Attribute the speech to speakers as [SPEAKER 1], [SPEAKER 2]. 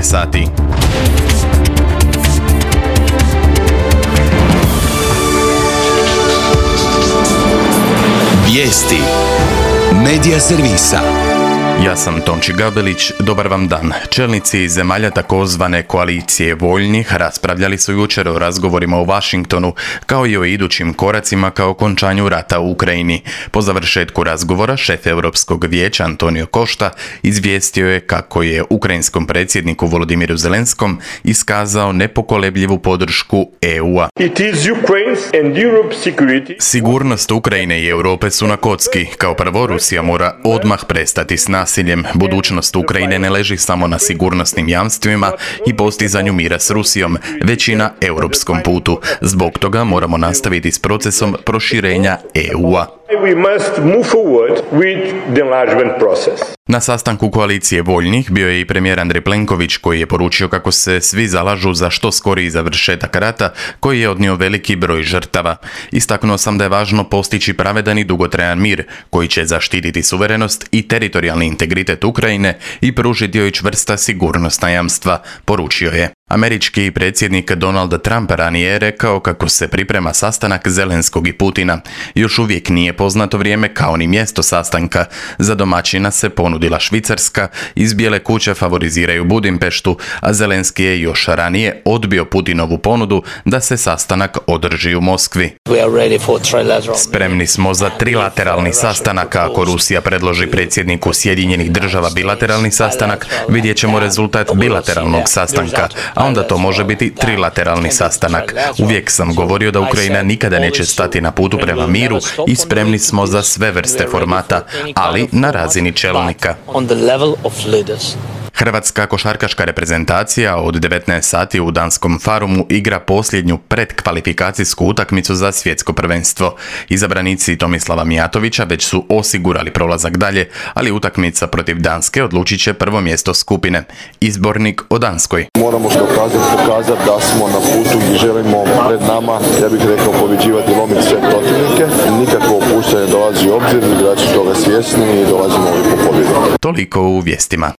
[SPEAKER 1] je sati.
[SPEAKER 2] Vijesti Medija servisa.
[SPEAKER 1] Ja sam Tonči Gabelić, dobar vam dan. Čelnici zemalja takozvane koalicije voljnih raspravljali su jučer o razgovorima u Washingtonu, kao i o idućim koracima ka okončanju rata u Ukrajini. Po završetku razgovora, šef Europskog vijeća Antonio Costa izvijestio je kako je ukrajinskom predsjedniku Volodimiru Zelenskom iskazao nepokolebljivu podršku EU-a. Sigurnost Ukrajine i Europe su na kocki. Kao prvo, Rusija mora odmah prestati s nasiljem. Budućnost Ukrajine ne leži samo na sigurnosnim jamstvima i postizanju mira s Rusijom, već i na europskom putu. Zbog toga moramo nastaviti s procesom proširenja EU-a. Na sastanku koalicije voljnih bio je i premijer Andrej Plenković, koji je poručio kako se svi zalažu za što skoriji završetak rata koji je odnio veliki broj žrtava. Istaknuo sam da je važno postići pravedan i dugotrajan mir koji će zaštititi suverenost i teritorijalni integritet Ukrajine i pružiti joj čvrsta sigurnosna jamstva, poručio je. Američki predsjednik Donald Trump ranije je rekao kako se priprema sastanak Zelenskog i Putina. Još uvijek nije poznato vrijeme kao ni mjesto sastanka. Za domaćina se ponudila Švicarska, iz Bijele kuće favoriziraju Budimpeštu, a Zelenski je još ranije odbio Putinovu ponudu da se sastanak održi u Moskvi. Spremni smo za trilateralni sastanak, a ako Rusija predloži predsjedniku Sjedinjenih država bilateralni sastanak, vidjet ćemo rezultat bilateralnog sastanka, a onda to može biti trilateralni sastanak. Uvijek sam govorio da Ukrajina nikada neće stati na putu prema miru i spremni smo za sve vrste formata, ali na razini čelnika. Hrvatska košarkaška reprezentacija od 19 sati u danskom Farumu igra posljednju predkvalifikacijsku utakmicu za svjetsko prvenstvo. Izabranici Tomislava Mijatovića već su osigurali prolazak dalje, ali utakmica protiv Danske odlučit će prvo mjesto skupine. Izbornik o Danskoj.
[SPEAKER 3] Moramo pokazati da smo na putu gdje želimo pred nama, ja bih rekao, pobjeđivati i lomiti sve protivnike. Nikakvo opuštanje dolazi u obzir, igrači toga svjesni i dolazimo ovdje po pobjedu.
[SPEAKER 1] Toliko u vijestima.